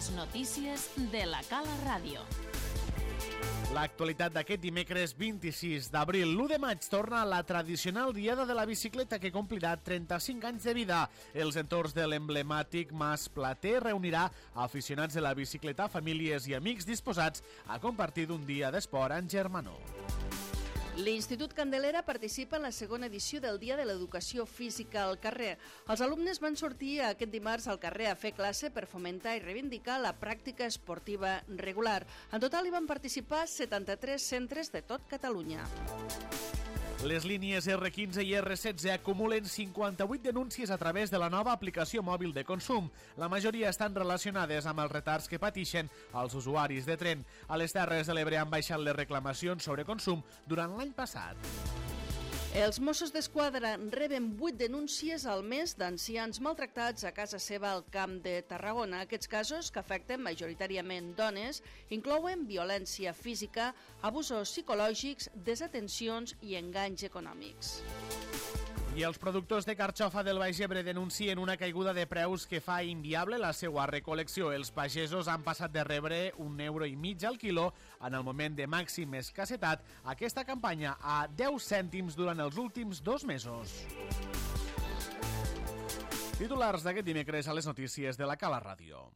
Les notícies de la Cala Ràdio. L'actualitat d'aquest dimecres 26 d'abril. L'1 de maig torna la tradicional Diada de la Bicicleta que complirà 35 anys de vida. Els entorns de l'emblemàtic Mas Plater reunirà aficionats de la bicicleta, famílies i amics disposats a compartir un dia d'esport en germanor. L'Institut Candelera participa en la segona edició del Dia de l'Educació Física al carrer. Els alumnes van sortir aquest dimarts al carrer a fer classe per fomentar i reivindicar la pràctica esportiva regular. En total hi van participar 73 centres de tot Catalunya. Les línies R15 i R16 acumulen 58 denúncies a través de la nova aplicació mòbil de consum. La majoria estan relacionades amb els retards que pateixen els usuaris de tren. A les Terres de l'Ebre han baixat les reclamacions sobre consum durant l'any passat. Els Mossos d'Esquadra reben 8 denúncies al mes d'ancians maltractats a casa seva al Camp de Tarragona. Aquests casos, que afecten majoritàriament dones, inclouen violència física, abusos psicològics, desatencions i enganys econòmics. I els productors de carxofa del Baix Ebre denuncien una caiguda de preus que fa inviable la seva recol·lecció. Els pagesos han passat de rebre €1,5 al quilo en el moment de màxima escassetat aquesta campanya a 10 cèntims durant els últims 2 mesos. Titulars d'aquest dimecres a les notícies de la Cala Ràdio.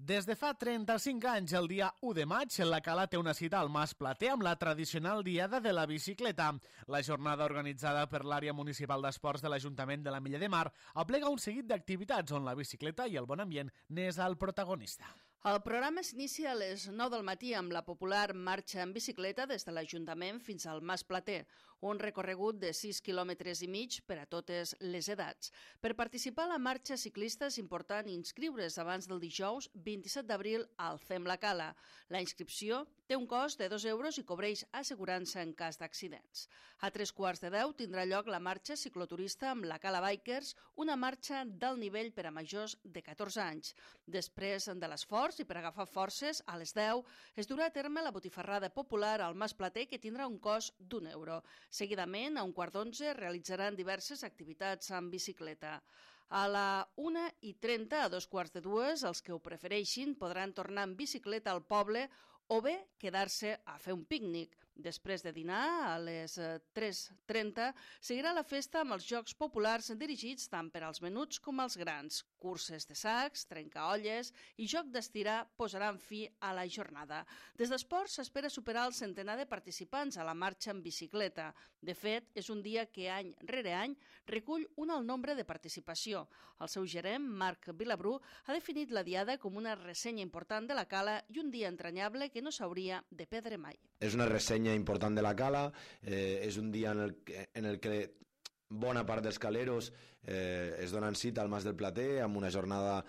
Des de fa 35 anys, el dia 1 de maig, la Cala té una cita al Mas Plater amb la tradicional Diada de la Bicicleta. La jornada organitzada per l'àrea municipal d'esports de l'Ajuntament de la Mella de Mar aplega un seguit d'activitats on la bicicleta i el bon ambient n'és el protagonista. El programa s'inicia a les 9 del matí amb la popular marxa en bicicleta des de l'Ajuntament fins al Mas Plater, un recorregut de 6,5 quilòmetres per a totes les edats. Per participar a la marxa ciclista és important inscriure's abans del dijous 27 d'abril al Fem la Cala. La inscripció té un cost de €2 i cobreix assegurança en cas d'accidents. A 9:15 tindrà lloc la marxa cicloturista amb la Cala Bikers, una marxa d'alt nivell per a majors de 14 anys. Després de l'esforç i per agafar forces, a les 10 es durà a terme la botifarrada popular al Mas Plater, que tindrà un cost d'1 €. Seguidament, a 11:15, realitzaran diverses activitats amb bicicleta. A la 1:30, a 2:15, els que ho prefereixin podran tornar en bicicleta al poble o bé quedar-se a fer un pícnic. Després de dinar, a les 3:30, seguirà la festa amb els jocs populars dirigits tant per als menuts com als grans. Curses de sacs, trencaolles i joc d'estirar posaran fi a la jornada. Des d'Esports s'espera superar el centenar de participants a la marxa en bicicleta. De fet, és un dia que any rere any recull un alt nombre de participació. El seu gerent, Marc Vilabrú, ha definit la Diada com una ressenya important de la Cala i un dia entranyable que no s'hauria de perdre mai. És una ressenya important de la Cala, és un dia en el que bona part dels caleros es donen cita al Mas del Plater amb una jornada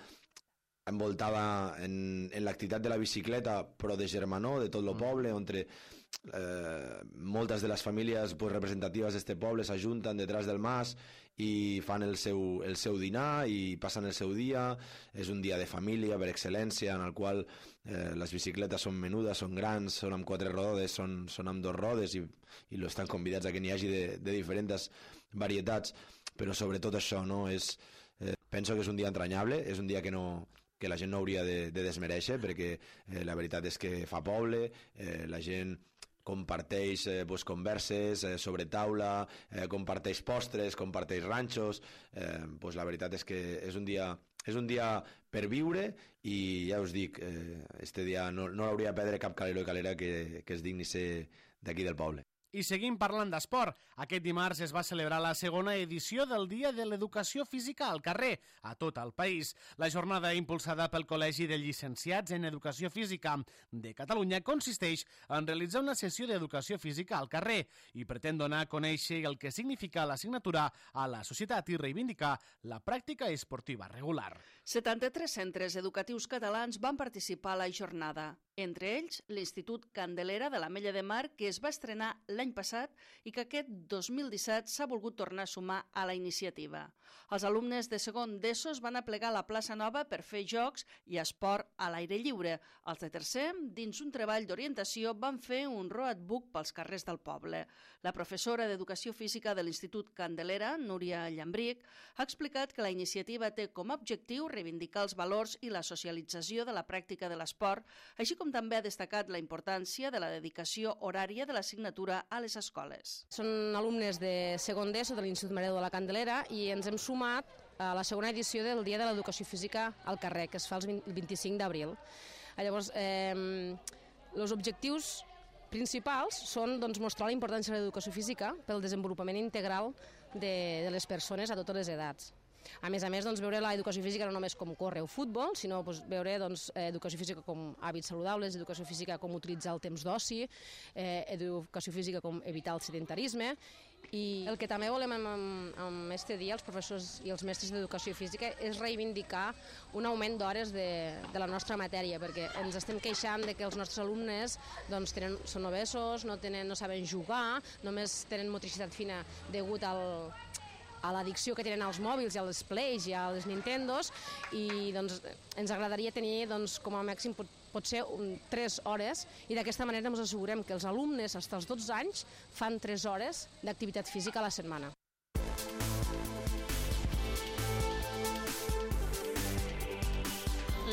envoltada en l'activitat de la bicicleta, però de germanor, de tot el poble, on moltes de les famílies representatives d'aquest poble s'ajunten detrás del mas i fan el seu dinar i passen el seu dia. És un dia de família per excel·lència, en el qual les bicicletes són menudes, són grans, són amb 4 rodes, són amb 2 rodes i estan convidats a que n'hi hagi de diferents varietats, però sobretot això, no? Penso que és un dia entranyable, és un dia que la gent no hauria de desmereixer, perquè la veritat és que fa poble, la gent comparteix converses sobre taula, comparteix postres, comparteix ranxos. La veritat és que és un dia per viure i ja us dic, este dia no l'hauria de perdre cap calero i calera que es digni ser d'aquí del poble. I seguim parlant d'esport. Aquest dimarts es va celebrar la segona edició del Dia de l'Educació Física al carrer, a tot el país. La jornada impulsada pel Col·legi de Llicenciats en Educació Física de Catalunya consisteix en realitzar una sessió d'educació física al carrer i pretén donar a conèixer el que significa l'assignatura a la societat i reivindicar la pràctica esportiva regular. 73 centres educatius catalans van participar a la jornada. Entre ells, l'Institut Candelera de l'Ametlla de Mar, que es va estrenar l'any passat i que aquest 2017 s'ha volgut tornar a sumar a la iniciativa. Els alumnes de segon d'ESO es van aplegar a la plaça Nova per fer jocs i esport a l'aire lliure. Els de tercer, dins un treball d'orientació, van fer un road book pels carrers del poble. La professora d'Educació Física de l'Institut Candelera, Núria Llambric, ha explicat que la iniciativa té com a objectiu reivindicar els valors i la socialització de la pràctica de l'esport, així com també ha destacat la importància de la dedicació horària de l'assignatura a les escoles. Són alumnes de segon d'ESO de l'Institut Maria de la Candelera i ens hem sumat a la segona edició del Dia de l'Educació Física al carrer, que es fa el 25 d'abril. Llavors, els objectius principals són mostrar la importància de l'educació física pel desenvolupament integral de les persones a totes les edats. A més, veure l'educació física no només com córrer o futbol, sinó veure educació física com hàbits saludables, educació física com utilitzar el temps d'oci, educació física com evitar el sedentarisme. I el que també volem amb aquest dia, els professors i els mestres d'educació física, és reivindicar un augment d'hores de la nostra matèria, perquè ens estem queixant de que els nostres alumnes són obesos, no saben jugar, només tenen motricitat fina degut a l'addicció que tenen als mòbils i als Plays i als Nintendos, i ens agradaria tenir com a màxim potser 3 hores, i d'aquesta manera ens assegurem que els alumnes fins als 12 anys fan 3 hores d'activitat física a la setmana.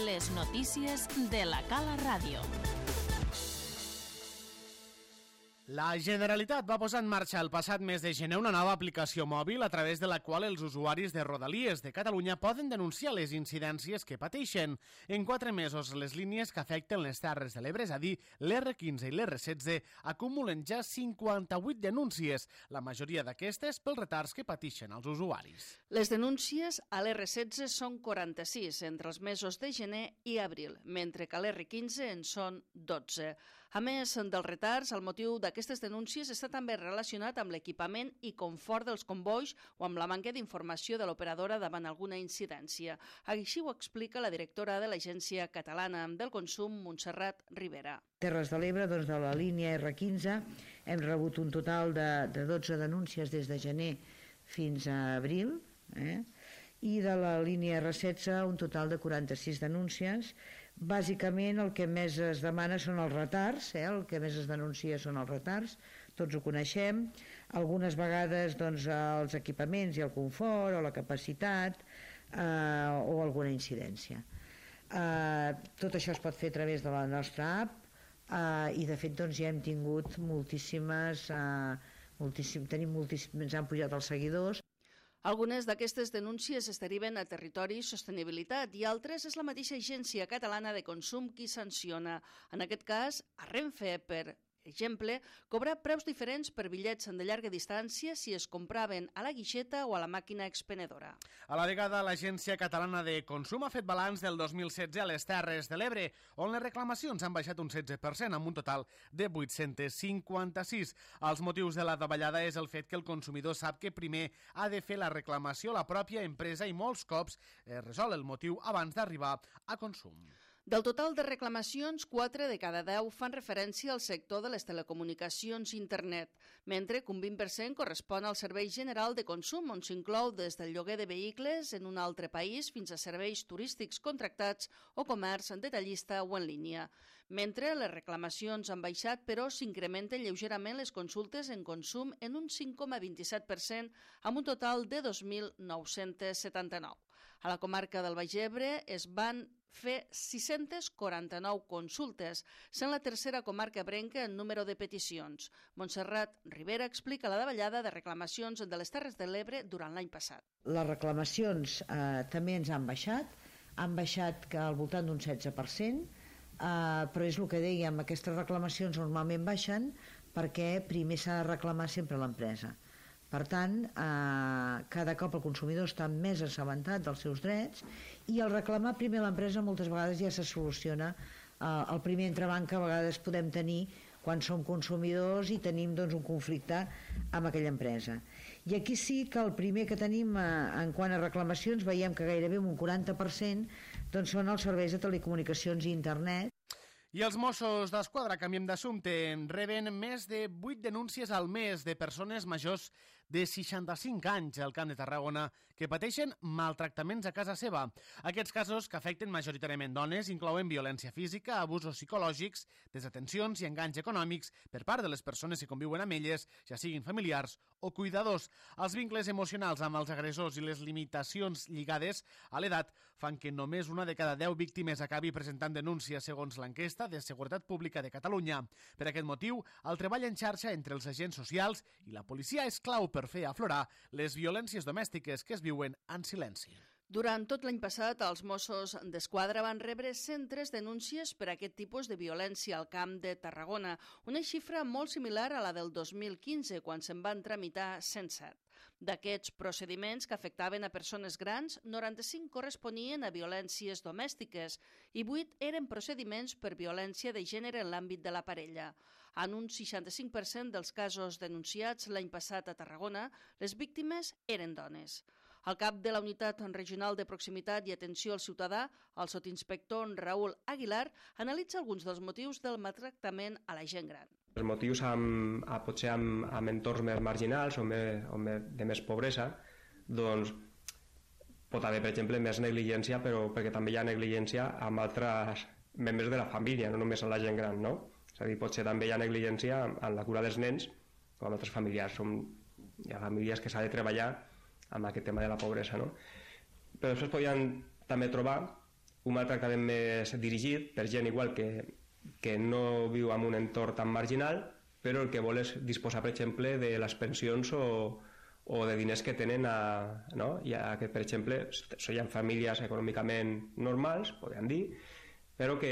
Les notícies de la Cala Ràdio. La Generalitat va posar en marxa el passat mes de gener una nova aplicació mòbil a través de la qual els usuaris de Rodalies de Catalunya poden denunciar les incidències que pateixen. En 4 mesos, les línies que afecten les Terres de l'Ebre, és a dir, l'R15 i l'R16, acumulen ja 58 denúncies, la majoria d'aquestes pels retards que pateixen els usuaris. Les denúncies a l'R16 són 46 entre els mesos de gener i abril, mentre que a l'R15 en són 12. A més dels retards, el motiu d'aquestes denúncies està també relacionat amb l'equipament i confort dels combois o amb la manca d'informació de l'operadora davant alguna incidència. Així ho explica la directora de l'Agència Catalana del Consum, Montserrat Rivera. Terres de l'Ebre, de la línia R15, hem rebut un total de 12 denúncies des de gener fins a abril, i de la línia R16 un total de 46 denúncies. Bàsicament el que més es demana són els retards, el que més es denuncia són els retards, tots ho coneixem, algunes vegades els equipaments i el confort o la capacitat o alguna incidència. Tot això es pot fer a través de la nostra app i de fet ja hem tingut ens han pujat els seguidors. Algunes d'aquestes denúncies es deriven a Territori i Sostenibilitat i altres és la mateixa Agència Catalana de Consum qui sanciona. En aquest cas, a Renfe, per exemple, cobra preus diferents per bitllets de llarga distància si es compraven a la guixeta o a la màquina expenedora. A la vegada, l'Agència Catalana de Consum ha fet balanç del 2016 a les Terres de l'Ebre, on les reclamacions han baixat un 16%, amb un total de 856. Els motius de la davallada és el fet que el consumidor sap que primer ha de fer la reclamació a la pròpia empresa i molts cops resol el motiu abans d'arribar a consum. Del total de reclamacions, 4 de cada 10 fan referència al sector de les telecomunicacions i internet, mentre que un 20% correspon al servei general de consum, on s'inclou des del lloguer de vehicles en un altre país fins a serveis turístics contractats o comerç detallista o en línia. Mentre les reclamacions han baixat, però s'incrementen lleugerament les consultes en consum en un 5,27%, amb un total de 2.979. A la comarca del Baix Ebre es van fer 649 consultes, sent la tercera comarca ebrenca en número de peticions. Montserrat Rivera explica la davallada de reclamacions de les Terres de l'Ebre durant l'any passat. Les reclamacions també ens han baixat que al voltant d'un 16%, però és el que dèiem, aquestes reclamacions normalment baixen perquè primer s'ha de reclamar sempre l'empresa. Per tant, cada cop el consumidor està més assabentat dels seus drets i al reclamar primer l'empresa moltes vegades ja se soluciona. El primer entrebanc que a vegades podem tenir quan som consumidors i tenim un conflicte amb aquella empresa. I aquí sí que el primer que tenim en quant a reclamacions veiem que gairebé un 40% són els serveis de telecomunicacions i internet. I els Mossos d'Esquadra, canviem d'assumpte, reben més de 8 denúncies al mes de persones majors de 65 anys al Camp de Tarragona que pateixen maltractaments a casa seva. Aquests casos, que afecten majoritàriament dones, inclouen violència física, abusos psicològics, desatencions i enganys econòmics per part de les persones que conviuen amb elles, ja siguin familiars o cuidadors. Els vincles emocionals amb els agressors i les limitacions lligades a l'edat fan que només una de cada 10 víctimes acabi presentant denúncia, segons l'enquesta de Seguretat Pública de Catalunya. Per aquest motiu, el treball en xarxa entre els agents socials i la policia és clau per fer aflorar les violències domèstiques que es viuen en silenci. Durant tot l'any passat, els Mossos d'Esquadra van rebre 103 denúncies per aquest tipus de violència al Camp de Tarragona, una xifra molt similar a la del 2015, quan se'n van tramitar 107. D'aquests procediments que afectaven a persones grans, 95 corresponien a violències domèstiques i 8 eren procediments per violència de gènere en l'àmbit de la parella. En un 65% dels casos denunciats l'any passat a Tarragona, les víctimes eren dones. El cap de la Unitat Regional de Proximitat i Atenció al Ciutadà, el sotinspector Raül Aguilar, analitza alguns dels motius del maltractament a la gent gran. Els motius potser amb entorns més marginals o de més pobresa, doncs pot haver, per exemple, més negligència, però perquè també hi ha negligència amb altres membres de la família, no només amb la gent gran, no? És a dir, potser també hi ha negligència en la cura dels nens o amb altres familiars. Hi ha famílies que s'ha de treballar amb aquest tema de la pobresa, no? Però després podien també trobar un maltractament més dirigit per gent igual que no viu en un entorn tan marginal, però el que vol és disposar, per exemple, de les pensions o de diners que tenen, no? Ja que, per exemple, són famílies econòmicament normals, podem dir, però que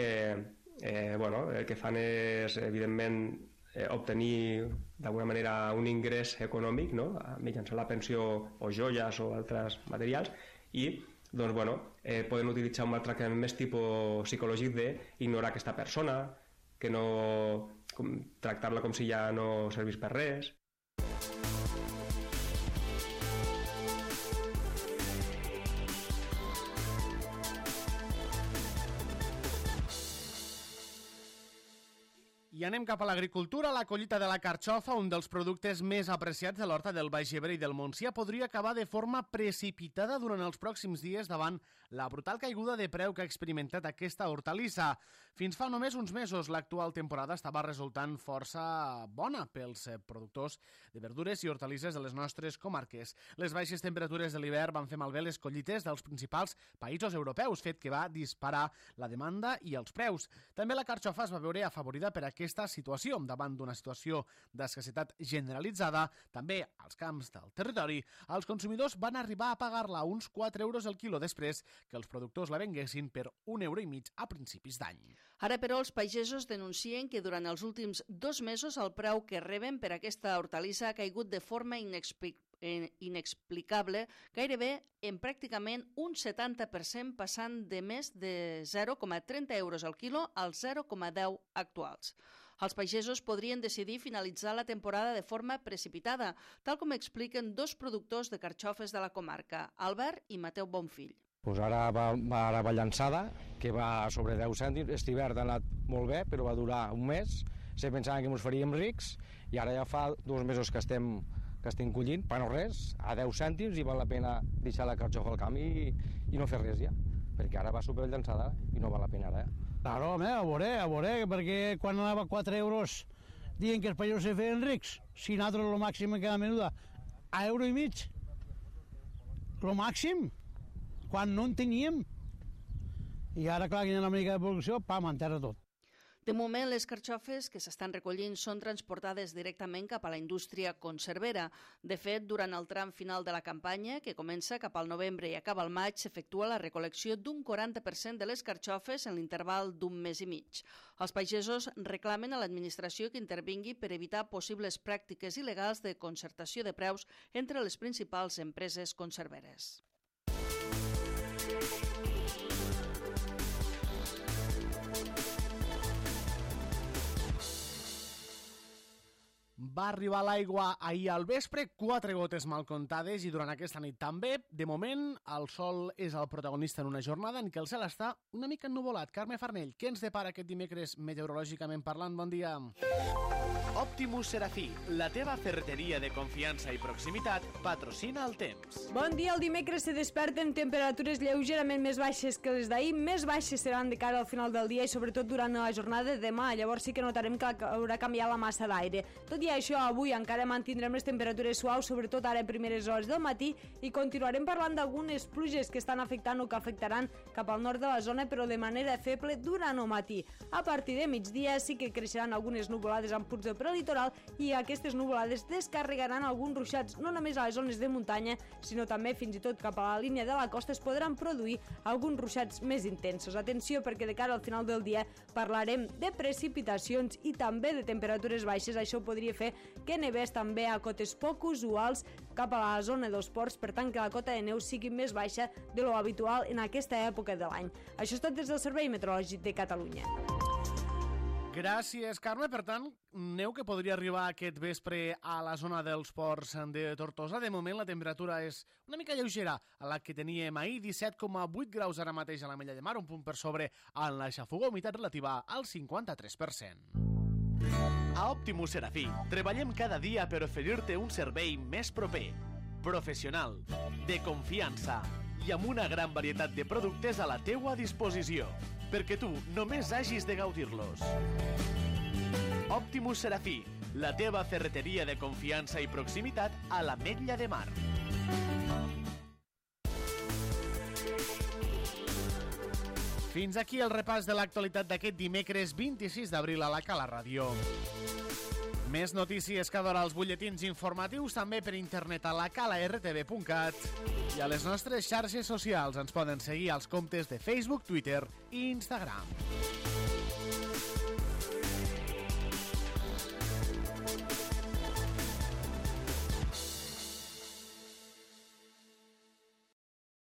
el que fan és, evidentment, obtenir d'alguna manera un ingrés econòmic, no? Mitjançant la pensió o joies o altres materials, i poden utilitzar un maltractament més tipus psicològic d'ignorar aquesta persona, que no tractar-la com si ja no servís per res. I anem cap a l'agricultura. La collita de la carxofa, un dels productes més apreciats de l'horta del Baix Ebre i del Montsià, podria acabar de forma precipitada durant els pròxims dies davant la brutal caiguda de preu que ha experimentat aquesta hortalissa. Fins fa només uns mesos, l'actual temporada estava resultant força bona pels productors de verdures i hortalisses de les nostres comarques. Les baixes temperatures de l'hivern van fer malbé les collites dels principals països europeus, fet que va disparar la demanda i els preus. També la carxofa es va veure afavorida per aquesta situació. Davant d'una situació d'escassetat generalitzada, també als camps del territori, els consumidors van arribar a pagar-la a uns 4 euros el quilo després que els productors la venguessin per 1,5 € a principis d'any. Ara, però, els pagesos denuncien que durant els últims 2 mesos el preu que reben per aquesta hortalissa ha caigut de forma inexplicable, gairebé en pràcticament un 70%, passant de més de 0,30 euros al quilo als 0,10 actuals. Els pagesos podrien decidir finalitzar la temporada de forma precipitada, tal com expliquen 2 productors de carxofes de la comarca, Albert i Mateu Bonfill. Pues ara va llançada, que va sobre 10 cèntims. Aquest hivern ha anat molt bé, però va durar un mes. Se pensaven que ens faríem rics i ara ja fa 2 mesos que estem collint, per no res, a 10 cèntims, i val la pena deixar la carxofa al camp i no fer res ja, perquè ara va super llançada i no val la pena ara. Claro, a veure, perquè quan anava a 4 euros diuen que els pagesos se feien rics, si nosaltres el màxim en cada menuda a €1,5, el màxim, quan no en teníem. I ara, clar, que hi ha una mica de producció, pam, enterra tot. De moment, les carxofes que s'estan recollint són transportades directament cap a la indústria conservera. De fet, durant el tram final de la campanya, que comença cap al novembre i acaba al maig, s'efectua la recol·lecció d'un 40% de les carxofes en l'interval d'un mes i mig. Els pagesos reclamen a l'administració que intervingui per evitar possibles pràctiques il·legals de concertació de preus entre les principals empreses conserveres. Va arribar l'aigua ahir al vespre, 4 gotes mal comptades i durant aquesta nit també. De moment, el sol és el protagonista en una jornada en què el cel està una mica ennuvolat. Carme Farnell, què ens depara aquest dimecres meteorològicament parlant? Bon dia. Optimus Serafí, la teva ferreteria de confiança i proximitat, patrocina el temps. Bon dia, el dimecres se desperten temperatures lleugerament més baixes que les d'ahir, més baixes seran de cara al final del dia i sobretot durant la jornada de demà, llavors sí que notarem que haurà canviat la massa d'aire. Tot i això, avui encara mantindrem les temperatures suaus, sobretot ara a primeres hores del matí, i continuarem parlant d'algunes pluges que estan afectant o que afectaran cap al nord de la zona, però de manera feble durant el matí. A partir de migdia sí que creixeran algunes nuvolades amb punts de prelitoral i aquestes nuvolades descarregaran alguns ruixats no només a les zones de muntanya, sinó també fins i tot cap a la línia de la costa es podran produir alguns ruixats més intensos. Atenció, perquè de cara al final del dia parlarem de precipitacions i també de temperatures baixes. Això podria fer que nevés també a cotes poc usuals cap a la zona dels ports, per tant que la cota de neu sigui més baixa de lo habitual en aquesta època de l'any. Això és tot des del Servei Meteorològic de Catalunya. Gràcies, Carme. Per tant, neu que podria arribar aquest vespre a la zona dels ports de Tortosa. De moment la temperatura és una mica lleugera a la que teníem ahir, 17,8 graus ara mateix a la Mella de Mar, un punt per sobre en la xafuga, humitat relativa al 53%. A Optimus Serafí, treballem cada dia per oferir-te un servei més proper, professional, de confiança i amb una gran varietat de productes a la teua disposició, perquè tu només hagis de gaudir-los. Optimus Serafí, la teva ferreteria de confiança i proximitat a l'Ametlla de Mar. Fins aquí el repàs de l'actualitat d'aquest dimecres 26 d'abril a la Cala Ràdio. Més notícies cada hora als butlletins informatius, també per internet a lacalartv.cat i a les nostres xarxes socials. Ens poden seguir als comptes de Facebook, Twitter i Instagram.